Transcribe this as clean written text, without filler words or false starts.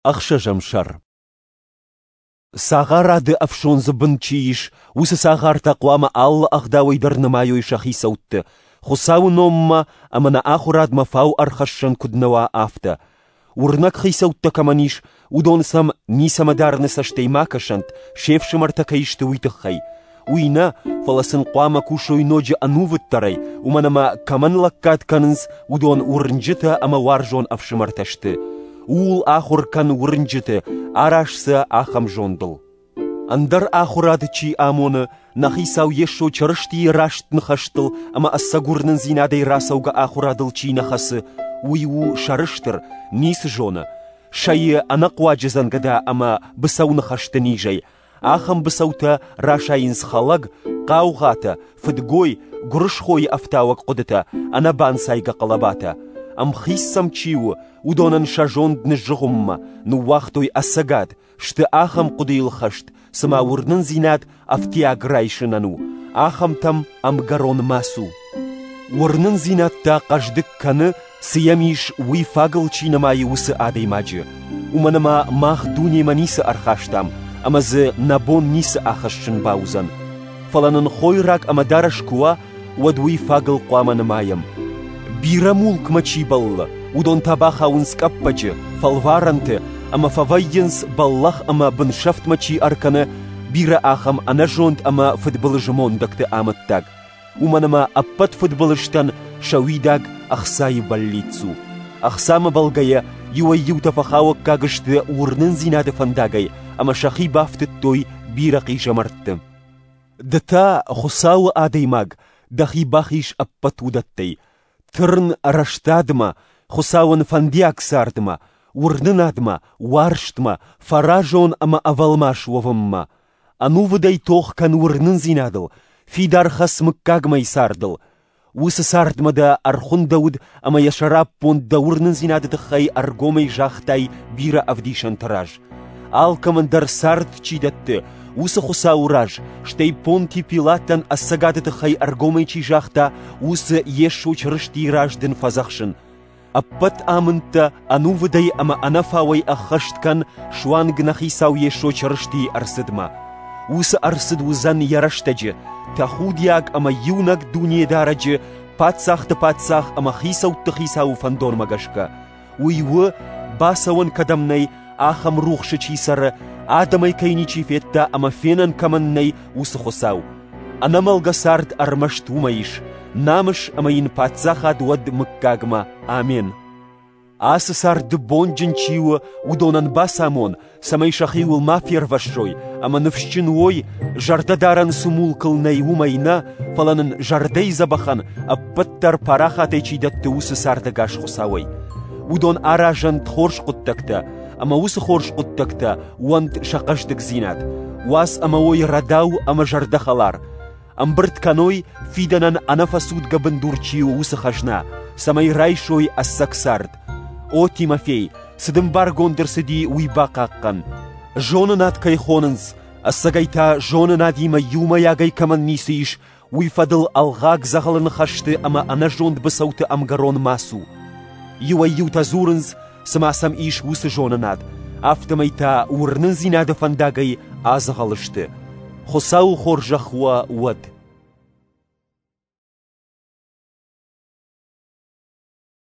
Ӕхсӕзӕм сӕр. Цагъарады ӕфсондзы бын чи ис, уыцы цагъартӕ хъуамӕ алы ӕгъдауӕй дӕр нымайой сӕ хицӕутты, Хуыцауы номмӕ ӕмӕ нӕ ахуырадмӕ фау ӕрхӕссӕн куыд нӕ уа, афтӕ. Уырнӕг хицӕуттӕ кӕмӕн ис, уыдон сӕм ницӕмӕ дарыны цӕстӕй ма кӕсӕнт, се фсымӕртӕ кӕй сты, уый тыххӕй. Уый нӕ, фӕлӕ сын хъуамӕ кусой ноджы ӕнувыддӕрӕй, уымӕн ӕмӕ кӕмӕн лӕггад кӕнынц, уыдон уырнджытӕ ӕмӕ уарзон ӕфсымӕртӕ сты. Ууыл ахуыр кӕн уырнджыты, араз сӕ ахӕм зондыл. Ӕндӕр ахуырад чи амоны, нӕ Хицау Йесо Чырыстийы раст ныхӕстыл ӕмӕ ӕцӕг уырнындзинадӕй рацӕугӕ ахуырадыл чи нӕ хӕцы, уый у сӕрыстыр, ницы зоны, сайы ӕнӕхъуаджы дзӕнгӕда ӕмӕ быцӕу ныхӕсты низӕй. Ахӕм быцӕутӕ расайынц хӕлӕг, хъаугъатӕ, фыдгой, гуырысхойы ӕфтауӕг хъуыдытӕ, ӕнӕбанцайгӕ хъӕлӕбатӕ. Ӕмхиц сӕм чи у, уыдонӕн сӕ зонд ныззыгъуыммӕ, ныууагътой ӕцӕгад, сты ахӕм хъуыдыйыл хӕст, цыма уырнындзинад ӕфтиаг райсынӕн у, ахӕмтӕм ӕмгӕрон ма цу. Уырнындзинад та хъӕздыг кӕны, цы йӕм ис, уый фагыл чи нымайы, уыцы адӕймаджы. Уымӕн ӕмӕ мах дунемӕ ницы ӕрхастам, ӕмӕ дзы нӕ бон ницы ахӕссын бауыдзӕн. Фӕлӕ нын хойраг ӕмӕ дарӕс куы уа, уӕд уый фагыл хъуамӕ нымайӕм. Бирӕ мулкмӕ чи бӕллы, уыдон та бахауынц къӕппӕджы, фӕлварӕнты ӕмӕ фӕвӕййынц, бӕллӕх ӕмӕ бынсӕфтмӕ чи ӕркӕны, бирӕ ахӕм ӕнӕзонд ӕмӕ фыдбылызы мондӕгты амӕттаг. Уымӕн ӕмӕ ӕппӕт фыдбылызтӕн сӕ уидаг ӕхцайы бӕллиц у. Ӕхцамӕ бӕлгӕйӕ иуӕй-иутӕ фӕхауӕггаг сты уырнындзинады фӕндагӕй ӕмӕ сӕхи бафтыдтой бирӕ хъизӕмӕртты. Ды та, Хуыцауы адӕймаг, дӕхи бахиз ӕппӕт уыдӕттӕй. Тырн рӕстадмӕ, Хуыцауӕн фӕндиаг цардмӕ, уырнынадмӕ, уарзтмӕ, фӕразон ӕмӕ ӕвӕлмас уӕвынмӕ. Ӕнувыдӕй тох кӕн уырнындзинадыл, фидар хӕц мыггагмӕйы цардыл. Уыцы цардмӕ дӕ ӕрхуындӕуыд ӕмӕ йӕ сӕраппонд дӕ уырнындзинады тыххӕй ӕргомӕй загътай бирӕ ӕвдисӕнты раз. Алкӕмӕн дӕр цард чи дӕтты, уыцы Хуыцауы раз, стӕй Понти Пилатӕн ӕцӕгады тыххӕй ӕргомӕй чи загъта, уыцы Йесо Чырыстийы раз дын фӕдзӕхсын. Ӕппӕт амындтӕ ӕнувыдӕй ӕмӕ ӕнӕфауӕй ӕххӕст кӕн суанг нӕ Хицау Йесо Чырыстийы ӕрцыдмӕ. Уыцы ӕрцыд уыдзӕн йӕ рӕстӕджы, тӕхудиаг ӕмӕ иунӕг Дунедарӕджы, паддзӕхты паддзах ӕмӕ хицӕутты хицауы фӕндонмӕ гӕсгӕ. Уый у, бацӕуӕн кӕдӕм нӕй, ахӕм рухсы чи цӕры, адӕмӕй кӕй ничи федта ӕмӕ фенӕн кӕмӕн нӕй, уыцы Хуыцау. Ӕнӕмӕлгӕ цард ӕрмӕст уымӕ ис, намыс ӕмӕ йын паддзахад уӕд мыггагмӕ. Амен. Ацы царды бонджын чи у, уыдонӕн бацамон, цӕмӕй сӕхиуыл ма фервӕссой ӕмӕ ныфсджын уой, зӕрдӕдарӕн цы мулкыл нӕй, уымӕй нӕ, фӕлӕ нын зӕрдӕйы дзӕбӕхӕн ӕппӕт дӕр парахатӕй чи дӕтты, уыцы цардӕгас Хуыцауӕй. Уыдон аразӕнт хорз хъуыддӕгтӕ, ӕмӕ уыцы хорз хъуыддӕгтӕ уӕнт сӕ хъӕздыгдзинад. Уадз ӕмӕ уой рӕдау ӕмӕ зӕрдӕхӕлар. Ӕмбырд кӕной, фидӕнӕн ӕнӕфӕцудгӕ бындур чи у, уыцы хӕзна, цӕмӕй райсой ӕцӕг цард. О Тимофей, цы дын баргонд ӕрцыди, уый бахъахъхъӕн. Зонынад кӕй хонынц, ӕцӕгӕй та зонынадимӕ иумӕйагӕй кӕмӕн ницы ис, уый фӕдыл ӕлгъаг дзӕгъӕлы ныхӕсты ӕмӕ ӕнӕзонд быцӕуты ӕмгӕрон ма цу. Иуӕй-иутӕ дзурынц, цыма сӕм ис уыцы зонынад, афтӕмӕй та уырнындзинады фӕндагӕй адзӕгъӕл сты. Хуыцауы хорзӕх уӕ уӕд!